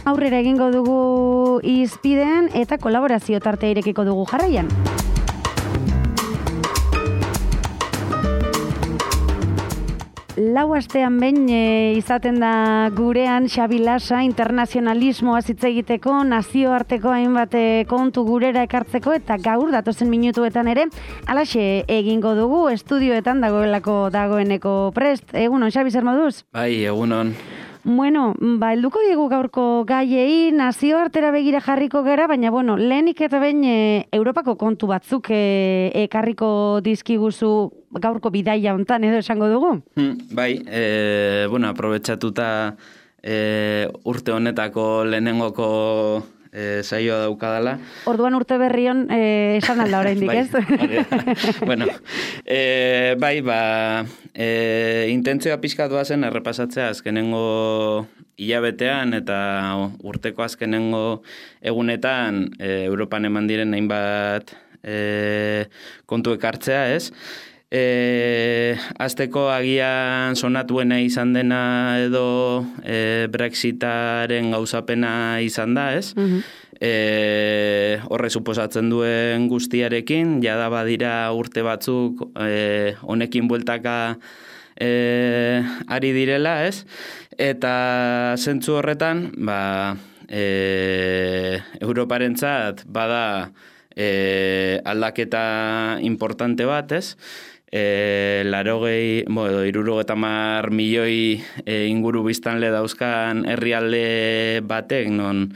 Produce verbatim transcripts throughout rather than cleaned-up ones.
aurrera egingo dugu izpiden eta kolaborazio tarte irekiko dugu jarraian. Lau astean behin e, izaten da gurean Xabi Lasa internazionalismoa hitz egiteko, nazioarteko hainbat kontu gurera ekartzeko eta gaur datozen minutuetan ere halaxe egingo dugu estudioetan dagoelako dagoeneko prest. Egunon, Xabi, zer moduz? Bai, egunon. Bueno, ba, helduko diegu gaurko gaiei, nazioartera begira jarriko gara, baina, bueno, lehenik eta behin e, Europako kontu batzuk e, ekarriko dizkiguzu gaurko bidaia hontan edo esango dugu? Hmm, bai, e, bueno, aprobetxatuta e, urte honetako lehenengoko e, saioa daukadala. Orduan urte berrion e, esan alda oraindik, bai, ez? bueno, e, bai, ba, e, intentzioa pixkatua zen errepasatzea azkenengo hilabetean eta urteko azkenengo egunetan e, Europan eman diren hainbat e, kontu ekartzea, ez? E, azteko agian sonatuena izan dena edo e, Brexitaren gauzapena izan da, ez? Uh-huh. E, horre suposatzen duen guztiarekin, jada badira urte batzuk e, honekin bueltaka e, ari direla, ez? Eta zentzu horretan, ba, e, Europarentzat bada e, aldaketa importante bat, ez? E, larogei, bo, edo irurogeta mar milioi e, inguru biztanle dauzkan herrialde batek, non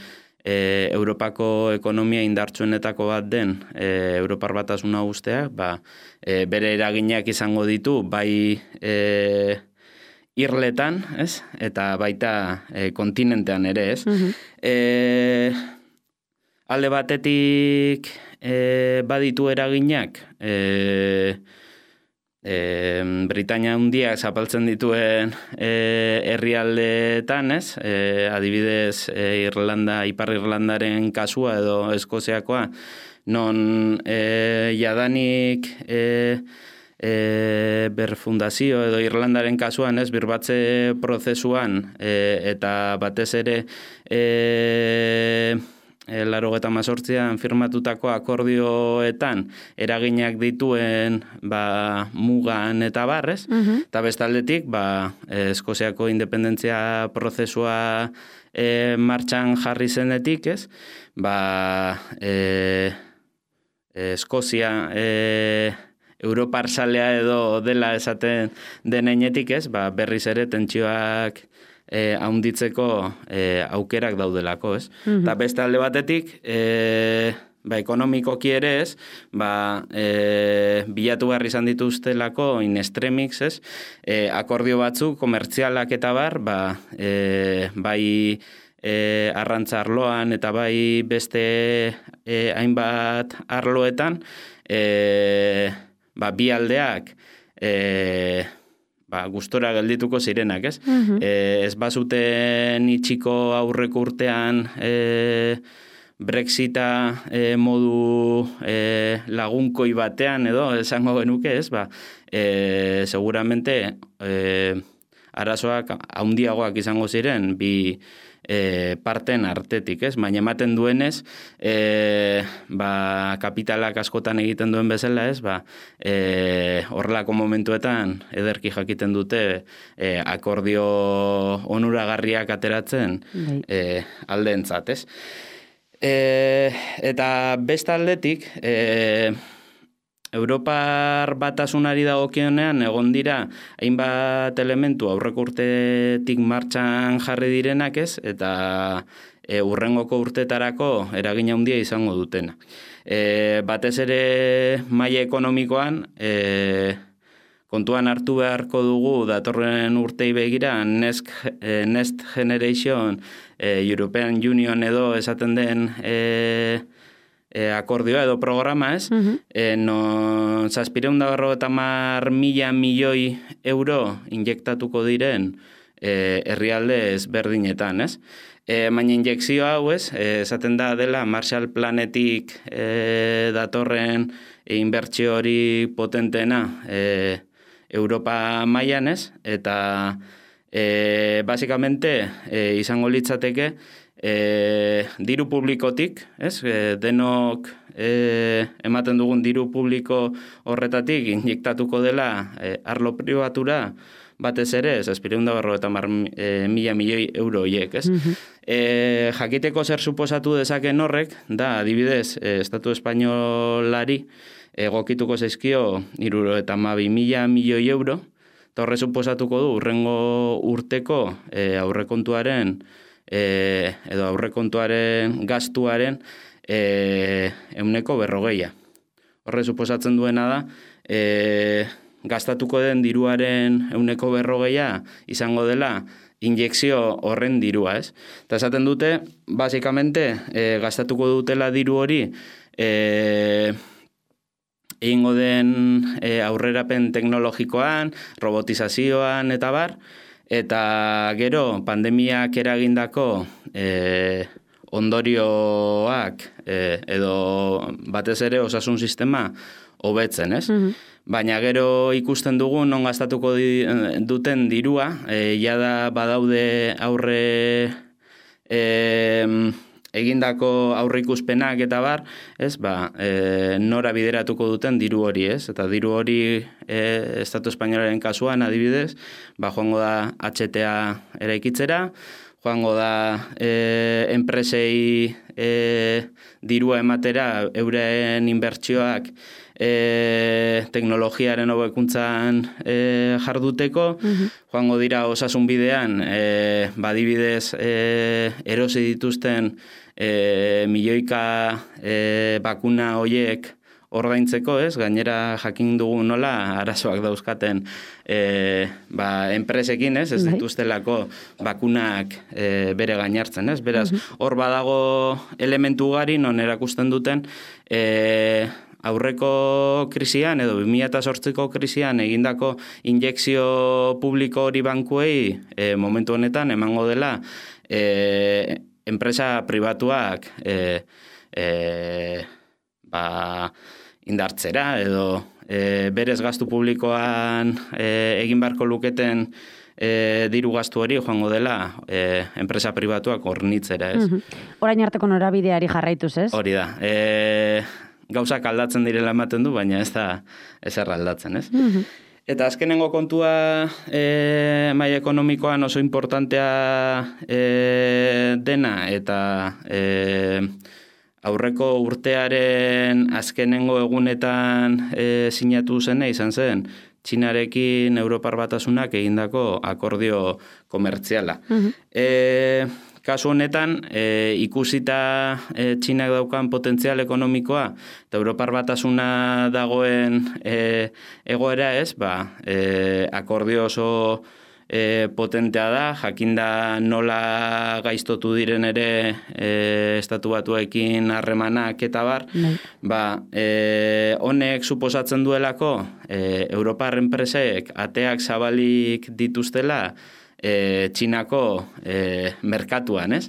e, Europako ekonomia indartsuenetako bat den e, Europar Batasuna usteak, ba, e, bere eraginak izango ditu, bai e, irletan, ez? Eta baita e, kontinentean ere, ez? Uh-huh. e, alde batetik e, baditu eraginak, e, E, Britania Handiak zapaltzen dituen e, herrialdeetan, ez? E, adibidez, e, Irlanda, Ipar Irlandaren kasua edo Eskoziakoa, non e, jadanik e, e, berfundazio edo Irlandaren kasuan, ez? Birbatze prozesuan e, eta batez ere e, E, larogeta mazortzian firmatutako akordioetan eraginak dituen ba, mugan eta barrez, uh-huh. Eta bestaldetik ba, Eskoziako independentzia prozesua e, martxan jarri zenetik, ez? Ba, e, Eskozia e, Europar salea edo dela esaten denenetik, ez? Ba, berriz ere tentsioak E, haunditzeko e, aukerak daudelako, ez? Mm-hmm. Eta beste alde batetik, e, ba, ekonomikoki ere, ez? Ba, e, bilatu behar izan dituztelako in extremis, ez? E, akordio batzuk, komertzialak eta bar, ba, e, bai e, arrantza arloan eta bai beste e, hainbat arloetan, e, ba, bi aldeak, e, ba, gustora geldituko zirenak, ez? Uh-huh. E, ez bazuten itxiko aurreko urtean e, Brexita e, modu e, lagunkoi batean edo esango genuke, ez? Ba, e, seguramente e, arazoak haundiagoak izango ziren bi e, parten artetik, ez? Baina ematen duenez, e, ba, kapitalak askotan egiten duen bezala, ez? Ba, e, horrelako momentuetan ederki jakiten dute e, akordio onuragarriak ateratzen e, aldeentzat, ez? E, eta beste aldetik, e, Europar Batasunari dagokionean egon dira hainbat elementu aurreko urtetik martxan jarri direnak, ez? Eta e, urrengoko urtetarako eragin handia izango dutena. E, batez ere maila ekonomikoan e, kontuan hartu beharko dugu datorren urtei begira Next, e, Next Generation e, European Union edo esaten den e, E, akordioa edo programa, ez? Uh-huh. E, no, zazpireun da berrogeita hamar mila milioi euro injektatuko diren e, herrialde ezberdinetan, ez? E, baina injekzio hau, ez? E, esaten da dela Marshall Planetik e, datorren e, inbertsio hori potentena e, Europa mailan, ez? Eta e, basikamente e, izango litzateke e, diru publikotik, ez? E, denok e, ematen dugun diru publiko horretatik injektatuko dela e, arlo pribatura batez ere, ez azpireunda barro eta mar, e, mila milioi euro hiek, ez? Mm-hmm. E, jakiteko zer suposatu dezaken horrek, da, adibidez, e, Estatu Espainolari egokituko zaizkio iruro eta mabi mila milioi euro, eta horre suposatuko du urrengo urteko e, aurrekontuaren e, edo aurrekontuaren gastuaren e, euneko berrogeia. Horre suposatzen duena da, e, gastatuko den diruaren euneko berrogeia izango dela injekzio horren dirua, ez? Eta esaten dute, basikamente, e, gastatuko dutela diru hori e, egingo den e, aurrerapen teknologikoan, robotizazioan eta bar, eta gero pandemiak eragindako e, ondorioak e, edo batez ere osasun sistema hobetzen, ez? Mm-hmm. Baina gero ikusten dugu non gastatuko di, duten dirua, e, jada badaude aurre e, egindako aurreikuspenak eta bar, ez, ba, e, nora bideratuko duten diru hori, ez? Eta diru hori e, Estatu Espainolaren kasuan adibidez, ba, joango da H T A eraikitzera, joango da e, enpresei e, dirua ematera euren inbertsioak e, teknologiaren hobekuntzan e, jarduteko, mm-hmm. joango dira osasun bidean, e, badibidez e, erosi dituzten e, milioika e, bakuna hoiek ordaintzeko, ez? Gainera jakin dugu nola arazoak dauzkaten e, ba, enpresekin, ez? Ez dituztelako bakunak e, bere gainartzen, ez? Beraz, hor badago elementu gari non erakusten duten e, aurreko krisian edo bi mila zortziko krisian egindako injekzio publiko hori bankuei e, momentu honetan emango dela e, enpresa pribatuak e, e, ba, indartzera edo e, berez gastu publikoan e, egin beharko luketen e, diru gastu hori joango dela e, enpresa pribatuak hornitzera, ez? Mm-hmm. Orain arteko norabideari jarraituz, ez? Hori da. E, gauzak aldatzen direla ematen du, baina ez da ezer aldatzen, ez? Mm-hmm. Eta azkenengo kontua e, maila ekonomikoan oso importantea e, dena eta e, aurreko urtearen azkenengo egunetan e, sinatu zene izan zen, Txinarekin Europar Batasunak egindako akordio komertziala. Mm-hmm. E, kasu honetan, e, ikusita e, Txinak daukan potentzial ekonomikoa eta Europar Batasuna dagoen e, egoera ez, ba, e, akordio oso E, potentea da, jakinda nola gaiztotu diren ere e, estatu batuekin harremanak eta bar, mm. ba, e, honek suposatzen duelako e, Europar enpresek ateak zabalik dituztela e, Txinako e, merkatuan, ez?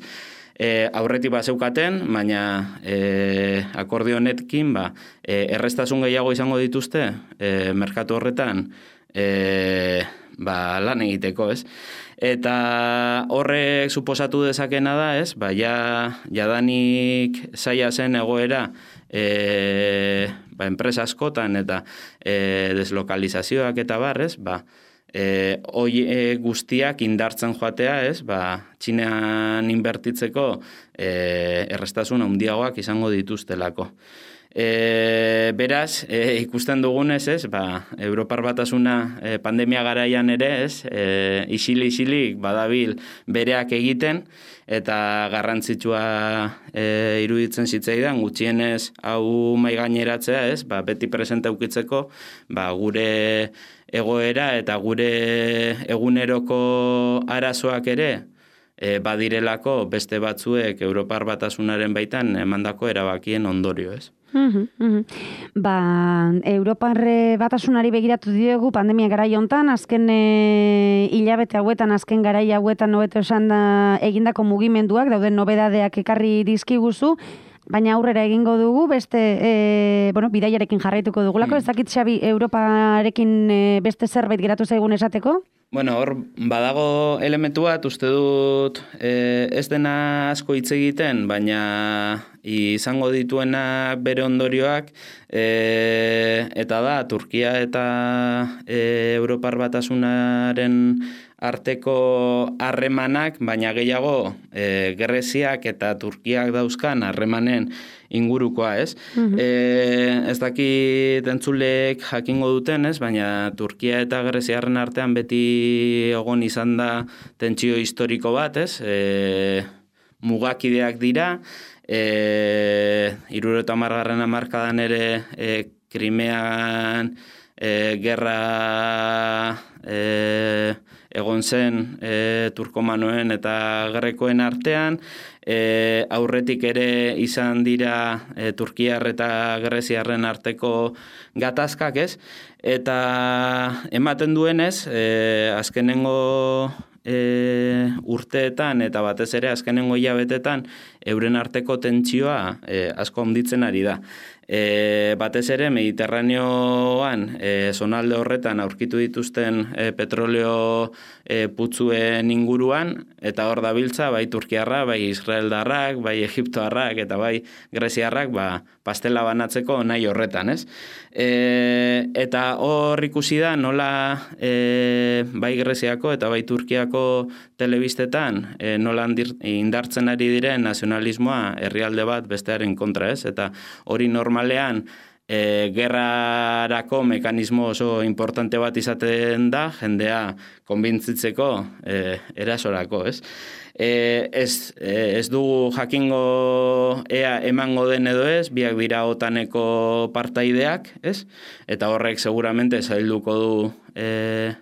E, aurretik bat zeukaten, baina e, akordio honetkin ba, e, errestasun gehiago izango dituzte e, merkatu horretan e, ba, lan egiteko, ez? Eta horrek suposatu dezakena da, ez? Ba, ja, jadanik zaila zen egoera e, ba, enpresa askotan eta e, deslokalizazioak eta barrez, ba, e, hoi e, guztiak indartzen joatea, ez? Ba, Txinean inbertitzeko e, errestasun handiagoak izango dituztelako. E, beraz, e, ikusten dugunez, ez, ba, Europar Batasuna e, pandemia garaian ere, ez, e, isili-isilik badabil bereak egiten, eta garrantzitsua e, iruditzen zitzaidan, gutxienez hau mai gaineratzea, ez, ba, beti presente ukitzeko, ba, gure egoera eta gure eguneroko arazoak ere, E, badirelako beste batzuek Europar Batasunaren baitan emandako erabakien ondorio, ez? Mm-hmm, mm-hmm. Ba, Europar Batasunari begiratu diogu pandemia garai hontan, azken e, hilabete hauetan, azken garai hauetan hobeto esan da egindako mugimenduak, dauden nobedadeak ekarri dizkiguzu, baina aurrera egingo dugu, beste, e, bueno, bidaiarekin jarraituko dugulako, ez dakit Xabi, Europarekin e, beste zerbait geratu zaigun esateko? Bueno, hor, badago elementu bat, uste dut e, ez dena asko hitz egiten, baina izango dituena bere ondorioak, e, eta da, Turkia eta e, Europar Batasunaren arteko harremanak, baina gehiago e, Greziak eta Turkiak dauzkan harremanen ingurukoa, ez? Uh-huh. E, ez dakit entzulek jakingo duten, ez? Baina Turkia eta Greziarren artean beti egon izan da tentsio historiko bat, ez? E, mugakideak dira, e, hirurogeita hamargarren hamarkadan ere e, Krimean e, gerra e, egon zen e, turkomanoen eta grekoen artean, e, aurretik ere izan dira e, Turkiar eta Greziarren arteko gatazkak, ez? Eta ematen duenez, e, azkenengo e, urteetan eta batez ere azkenengo hilabetetan euren arteko tentsioa e, asko handitzen ari da. E, batez ere Mediterraneoan e, zonalde horretan aurkitu dituzten e, petroleo e, putzuen inguruan, eta hor dabiltza bai Turkiarra, bai Israeldarrak, bai Egiptoarrak eta bai Greziarrak ba, pastela banatzeko nahi horretan, ez? E, eta hor ikusi da nola e, bai Greziako eta bai Turkiako telebistetan e, nola indartzen ari diren nazionalismoa herrialde bat bestearen kontra, ez? Eta hori normalean e, gerrarako mekanismo oso importante bat izaten da, jendea konbintzitzeko e, erasorako, ez? E, ez, e, ez dugu jakingo ea emango den edo ez, biak dira otaneko partaideak, ez? Eta horrek seguramente zailduko du e,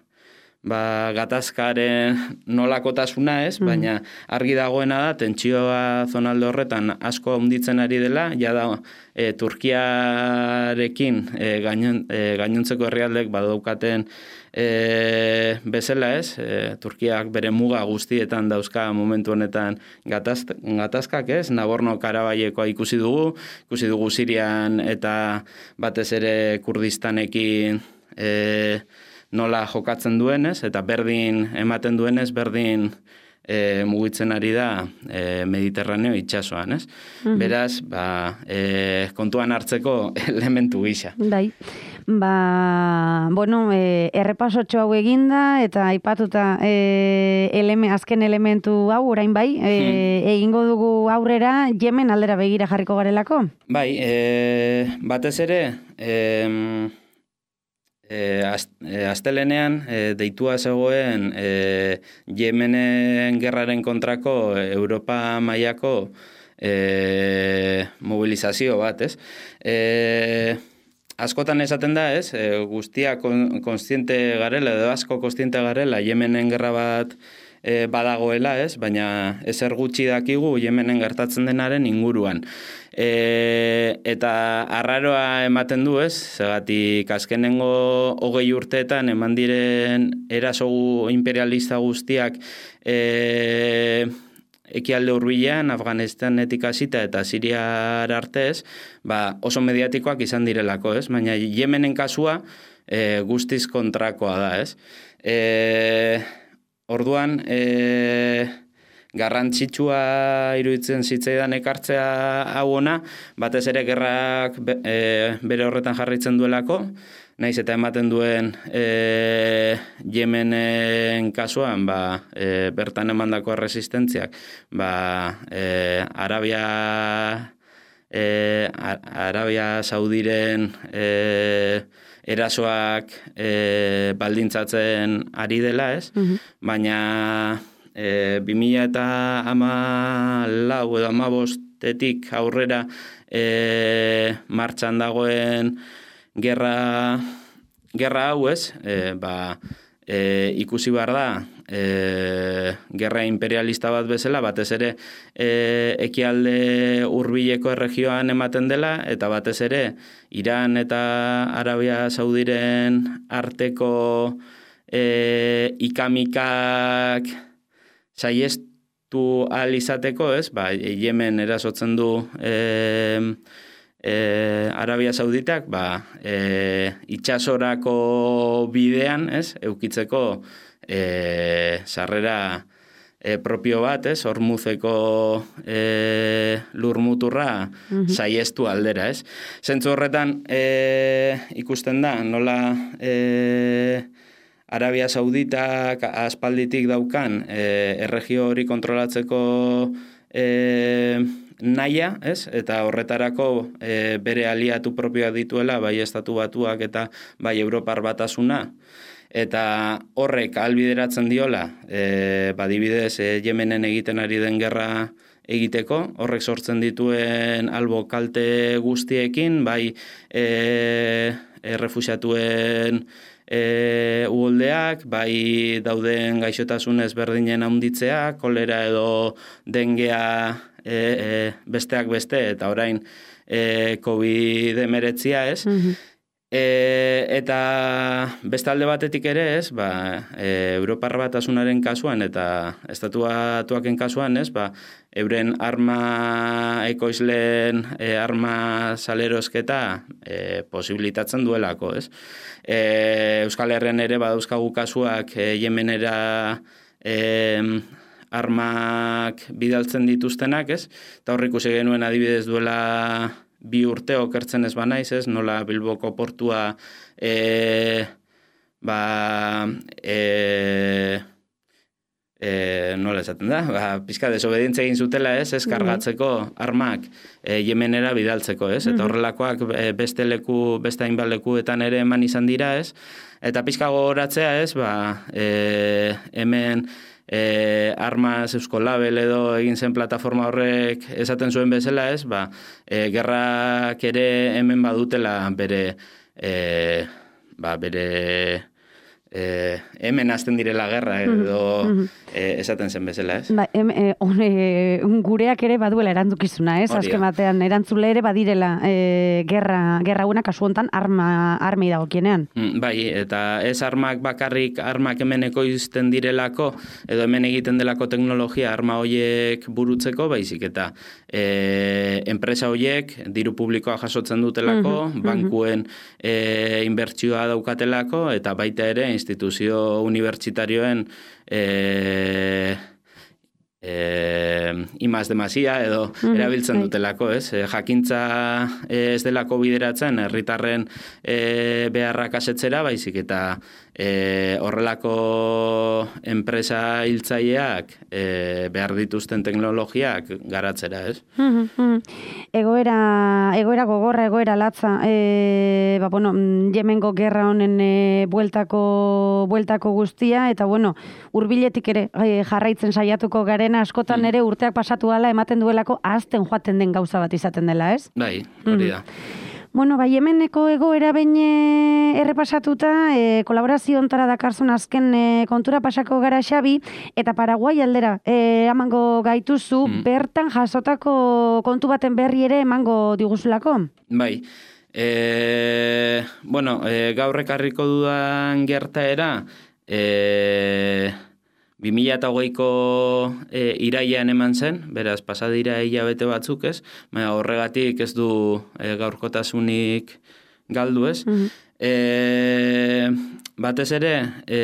ba, gatazkaren nolakotasuna, ez? Mm. Baina argi dagoena da, tentsioa zonalde horretan asko handitzen ari dela, ja da e, Turkiarekin e, gainon, e, gainontzeko herrialdek badaukaten e, bezala, ez? E, Turkiak bere muga guztietan dauzka momentu honetan gataz, gatazkak, ez? Nagorno-Karabaiekoa ikusi dugu, ikusi dugu Sirian eta batez ere Kurdistanekin e, nola jokatzen duenez, eta berdin ematen duenez, berdin e, mugitzen ari da e, Mediterraneo itsasoan, ez? Mm-hmm. Beraz, ba, e, kontuan hartzeko elementu gisa. Bai, ba, bueno, e, errepasotxo hau eginda, eta aipatuta e, eleme, azken elementu hau, orain bai, e, hmm. egingo dugu aurrera, Yemen aldera begira jarriko garelako? Bai, e, batez ere, e, E, astelenean e, deitua zegoen e, Yemenen gerraren kontrako Europa mailako e, mobilizazio bat, ez? E, askotan esaten da, ez? E, guztia konstiente garela, edo asko konstiente garela, Yemenen gerra bat e, badagoela, ez? Baina ezer gutxi dakigu Yemenen gertatzen denaren inguruan. E, eta arraroa ematen du, ez? Zagatik azkenengo hogei urteetan eman diren eraso imperialista guztiak e, ekialde hurbilean, Afganistanetik hasita eta Siriar artez, ba, oso mediatikoak izan direlako, ez? Baina Yemenen kasua e, guztiz kontrakoa da, ez? E, orduan, e, garrantzitsua iruditzen zitzaidan ekartzea hau ona, batez ere gerrak be, e, bere horretan jarraitzen duelako, naiz eta ematen duen e, Yemenen kasuan, ba, e, bertan emandako resistentziak, ba, e, Arabia e, Arabia Saudiren e, erasoak e, baldintzatzen ari dela, ez? Mm-hmm. Baina E, bi mila eta hamalau edo hamabostetik aurrera e, martxan dagoen gerra, gerra hau, ez? E, ba, e, ikusi behar da e, gerra imperialista bat bezala, batez ere e, ekialde hurbileko erregioan ematen dela, eta batez ere Iran eta Arabia Saudiren arteko e, ikamikak saiestu tu ahal izateko, ez? Ba, Yemen erasotzen du e, e, Arabia Sauditak, ba, e, itxasorako bidean, ez? Eukitzeko e, sarrera e, propio bat, ez? Hormuzeko e, lurmuturra mm-hmm. saiestu aldera, ez? Zentzu horretan e, ikusten da, nola e, Arabia Sauditak aspalditik daukan e, erregio hori kontrolatzeko e, naia, ez? Eta horretarako e, bere aliatu propioak dituela, bai Estatu Batuak eta bai Europar Batasuna, eta horrek ahalbideratzen diola, e, badibidez e, Yemenen egiten ari den gerra egiteko, horrek sortzen dituen albo kalte guztiekin, bai e, e, refuxiatuen e, uholdeak, bai dauden gaixotasun ezberdinen handitzea, kolera edo dengea e, e, besteak beste, eta orain e, covid hemeretzia, ez? Mm-hmm. E, eta beste alde batetik ere, ez, ba, e, Europar Batasunaren kasuan eta Estatu Batuaken kasuan, ez, ba, euren arma ekoizleen e, arma salerosketa e, posibilitatzen duelako, ez. E, Euskal Herrian ere badauzkagu kasuak e, Yemenera e, armak bidaltzen dituztenak, ez, eta horrik ikusi genuen adibidez duela bi urte okertzen ez banaiz, ez, nola Bilboko portua e, ba, e, e, nola esaten da, ba, pizka desobedientzia egin zutela, ez, ez, kargatzeko armak e, Yemenera bidaltzeko, ez, eta horrelakoak beste leku, beste hainbat lekuetan ere eman izan dira, ez, eta pizka gogoratzea, ez, ba, e, hemen E, Armas Eusko Label edo egin zen plataforma horrek esaten zuen bezala, ez, ba, e, gerrak ere hemen badutela bere, e, ba, bere e, hemen hasten direla gerra edo mm-hmm. e, esaten zen bezala, ez? Ba, em, e, on, e, gureak ere baduela erantzukizuna, ez? Azken batean erantzule ere badirela e, gerra, gerra una kasu hontan arma, armei dagokienean. Mm, bai, eta ez armak bakarrik armak hemen ekoizten direlako edo hemen egiten delako teknologia arma hoiek burutzeko, baizik eta e, enpresa hoiek diru publikoa jasotzen dutelako, mm-hmm. bankuen e, inbertsioa daukatelako eta baita ere instituzio unibertsitarioen e, e, imaz demasia edo mm, erabiltzen right. dutelako, ez? E, jakintza ez delako bideratzen herritarren e, beharrak asetzera, baizik eta e, horrelako enpresa hiltzaileak e, behar dituzten teknologiak garatzera, ez? Egoera, egoera gogorra, egoera latza, e, ba, bueno, Yemengo gerra honen e, bueltako, bueltako guztia, eta bueno, hurbiletik ere e, jarraitzen saiatuko garen askotan ere urteak pasatu ala ematen duelako ahazten joaten den gauza bat izaten dela, ez? Bai, hori da. Mm. Bueno, bai, Yemeneko egoera behin errepasatuta, e, kolaborazio ontara dakarzun azken e, kontura pasako gara Xabi, eta Paraguai aldera e, emango gaituzu, mm. bertan jasotako kontu baten berri ere emango diguzulako? Bai, e, bueno, e, gaur ekarriko dudan gertaera, e, bi mila hogeiko e, irailean eman zen, beraz, pasadira hilabete batzuk, ez? Baina horregatik ez du e, gaurkotasunik galdu, ez? Mm-hmm. E, batez ere, e,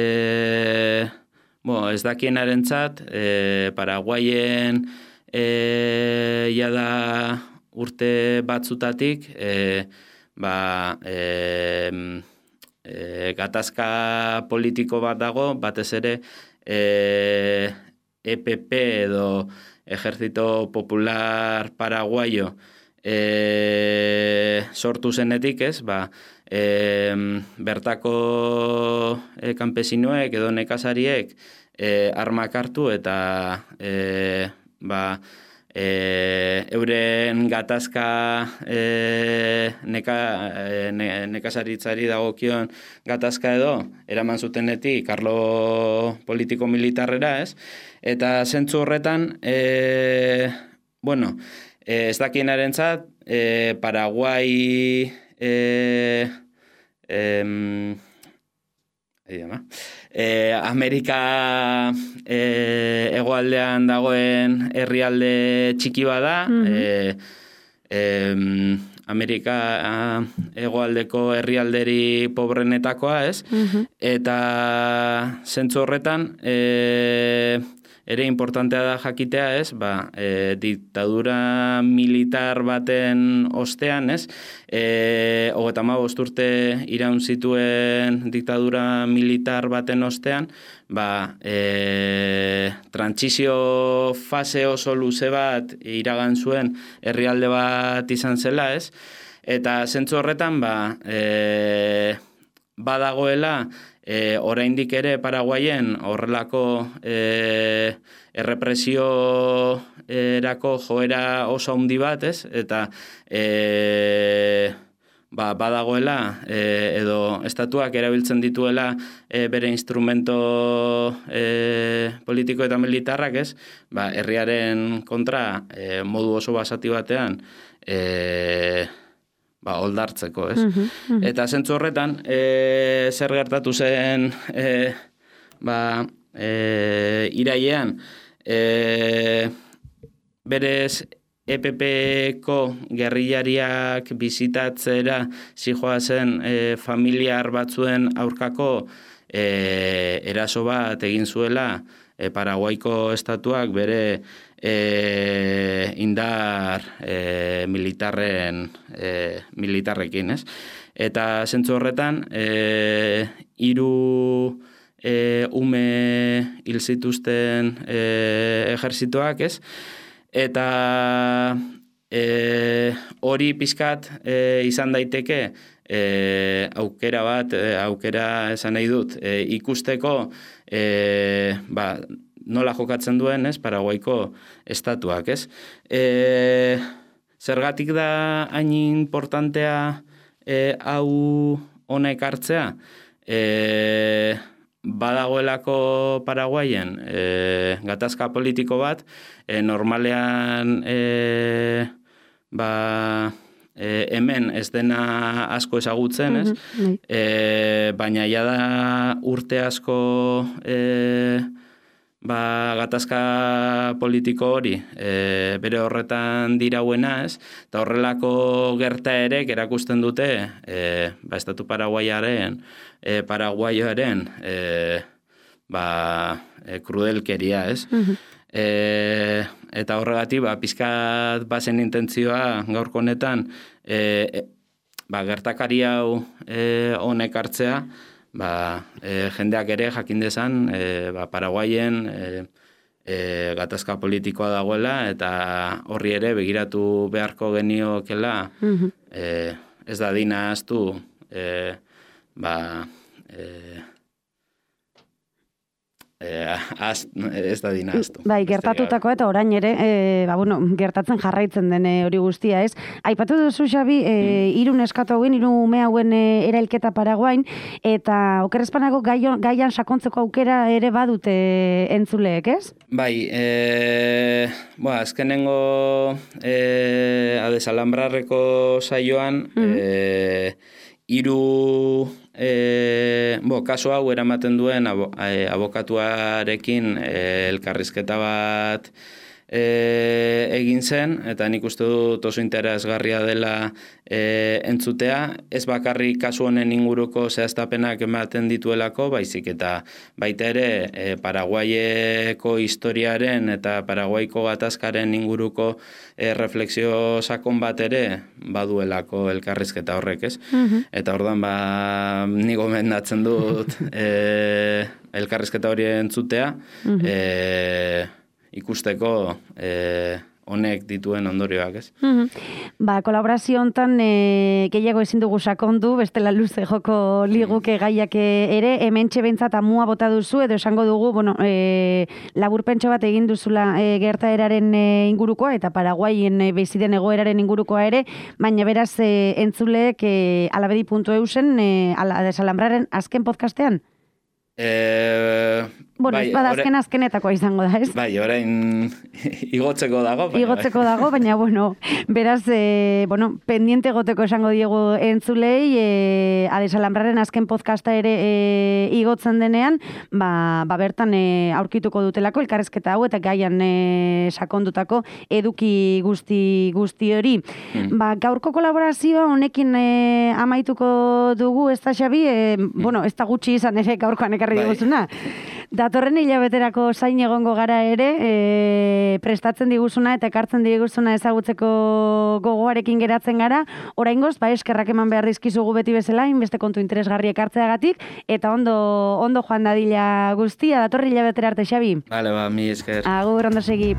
bo, ez dakienarentzat, e, Paraguaien e, jada urte batzutatik, e, ba, e, e, gatazka politiko bat dago, batez ere, E, E P P edo Ejército Popular Paraguayo e, sortu zenetik, ez, ba, e, bertako e, kanpesinoek edo nekazariek e, armak hartu eta e, ba, E, euren gatazka e, neka, e, ne, nekazaritzari dagokion gatazka edo eraman zutenetik arlo politiko-militarrera, ez? Eta zentzu horretan, e, bueno, e, ez dakienarentzat, e, Paraguai e, e, e, Amerika e, hegoaldean dagoen herrialde txiki bada, mm-hmm. e, e, Amerika hegoaldeko herrialderi pobrenetakoa, ez? Mm-hmm. Eta zentzu horretan, e, ere importantea da jakitea, ez? Ba, e, diktadura militar baten ostean, ez? E, Hogeita hamabost urte iraun zituen diktadura militar baten ostean, ba, e, trantsizio fase oso luze bat iragan zuen herrialde bat izan zela, ez? Eta zentzu horretan, ba, e, badagoela, E, oraindik ere Paraguayen horrelako e, errepresio erako joera oso handi bat, ez? Eta e, ba, badagoela e, edo estatuak erabiltzen dituela e, bere instrumento e, politiko eta militarrak, ez? Ba, herriaren kontra e, modu oso basati batean e, ba, oldartzeko, ez? Uh-huh, uh-huh. Eta zentzu horretan, e, zer gertatu zen e, ba, e, irailean, e, berez E P P-ko gerrillariak bizitatzera zijoazen e, familiar batzuen aurkako e, eraso bat egin zuela e, Paraguaiko estatuak bere E, indar e, militarren e, militarrekin, ez? Eta zentzu horretan e, hiru e, ume hil zituzten e, ejerzitoak, ez? Eta e, hori pizkat e, izan daiteke e, aukera bat, e, aukera esan nahi dut, e, ikusteko e, ba, nola jokatzen duen, ez, Paraguaiko estatuak, ez? E, zergatik da hain importantea e, hau honek hartzea? E, badagoelako Paraguayen e, gatazka politiko bat, e, normalean e, ba, e, hemen ez dena asko ezagutzen, ez? Mm-hmm. E, baina ja da urte asko e, ba, gatazka politiko hori e, bere horretan dirauena, ez? Eta horrelako gertaerek erakusten dute e, ba, estatu paraguaiaren e, paraguaioaren e, ba, e, krudelkeria, ez? Mm-hmm. e, eta horregatik, ba, pizkat bazen intentzioa gaurko honetan e, e, ba, gertakari hau e, honek hartzea, ba, e, jendeak ere jakin dezan e, ba, Paraguayen e, e, gatazka politikoa dagoela eta horri ere begiratu beharko geniokela mm-hmm. e, ez da dina aztu e, ba, e, E, az, ez da dinaztu. Bai, gertatutako eta orain ere, e, ba, bueno, gertatzen jarraitzen den hori guztia, ez? Aipatu duzu, Xabi, e, mm. hiru neskatu hauen, hiru ume hauen e, erailketa Paraguain, eta okerrezpanako gaian, gaian sakontzeko aukera ere badute entzuleek, ez? Bai, e, ba, azkenengo e, adesalambrarreko saioan, mm. e, hiru e, bo, kaso hau eramaten duen abo, e, abokatuarekin e, elkarrizketa bat e, egin zen, eta nik uste dut oso interesgarria dela e, entzutea, ez bakarrik kasu honen inguruko zehaztapenak ematen dituelako, baizik eta baita ere e, Paraguaieko historiaren eta Paraguaiko gatazkaren inguruko e, refleksio sakon bat ere baduelako elkarrizketa horrek, ez? Mm-hmm. Eta orduan, ba, ni gomendatzen dut e, elkarrizketa hori entzutea, mm-hmm. e, ikusteko e, honek dituen ondorioak, ez? Mm-hmm. Ba, kolaborazio hontan e, gehiago ezin dugu sakondu, bestela luze joko liguke gaiak ere, hementxe behintzat amua bota duzu, edo esango dugu, bueno, e, laburpentxo bat egin duzula e, gertaeraren e, ingurukoa, eta Paraguaien e, beziden egoeraren ingurukoa ere, baina beraz e, entzuleek e, alabedi puntu eusen e, ala, desalambraren azken podcastean? E, Bueno, bai, ez bada azken azkenetakoa izango da, ez? Bai, orain igotzeko dago. Baina, igotzeko dago, baina, bueno, beraz, e, bueno, pendiente goteko esango diego entzulei, e, Adesalambraren azken podcasta ere e, igotzen denean, ba, ba bertan e, aurkituko dutelako elkarrezketa hau eta gaian e, sakondutako eduki guzti guzti hori. Mm. Ba, gaurko kolaborazioa honekin e, amaituko dugu, ez da, Xabi, e, mm. bueno, ez da gutxi izan ere gaurkoan ekarri bai. diguzuna. Datorren hilabeterako zain egongo gara ere, e, prestatzen diguzuna eta ekartzen diguzuna ezagutzeko gogoarekin geratzen gara. Oraingoz, ba, eskerrak eman behar dizkizugu beti bezala, inbeste kontu interesgarri ekartzeagatik, eta ondo, ondo joan dadila guztia, datorren hilabetera arte, Xabi. Vale, ba, mi esker. Agur, ondo segi.